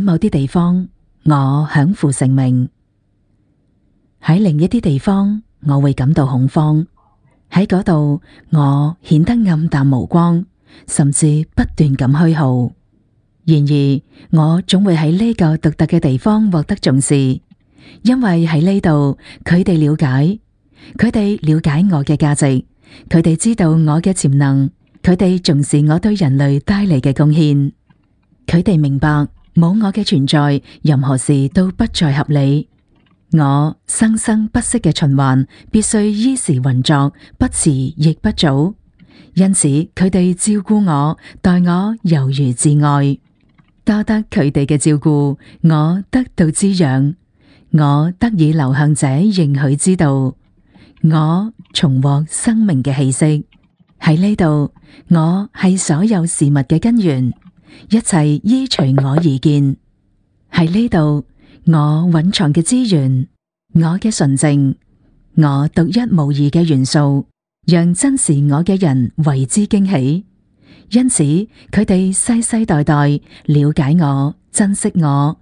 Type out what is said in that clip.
某啲地方，我享負盛名；喺另一啲地方，我會感到恐慌。喺嗰度，我顯得暗淡無光，甚至不斷咁虛耗。然而，我總會喺呢個獨特嘅地方獲得重視，因為喺呢度，佢哋了解我嘅價值，佢哋知道我嘅潛能，佢哋重視我對人類帶嚟嘅貢獻，佢哋明白冇我嘅存在，任何事都不再合理。我生生不息嘅循環必須依時運作，不遲亦不早。因此，佢哋照顧我，待我猶如摯愛。多得佢哋嘅照顧，我得到滋養，我得以流向這應許之道，我重獲生命嘅氣息。喺呢度，我係所有事物嘅根源，一切依隨我而建。喺呢度，我蘊藏嘅資源，我嘅純淨，我獨一無二嘅元素，讓珍視我嘅人為之驚喜。因此，佢哋世世代代了解我、珍惜我，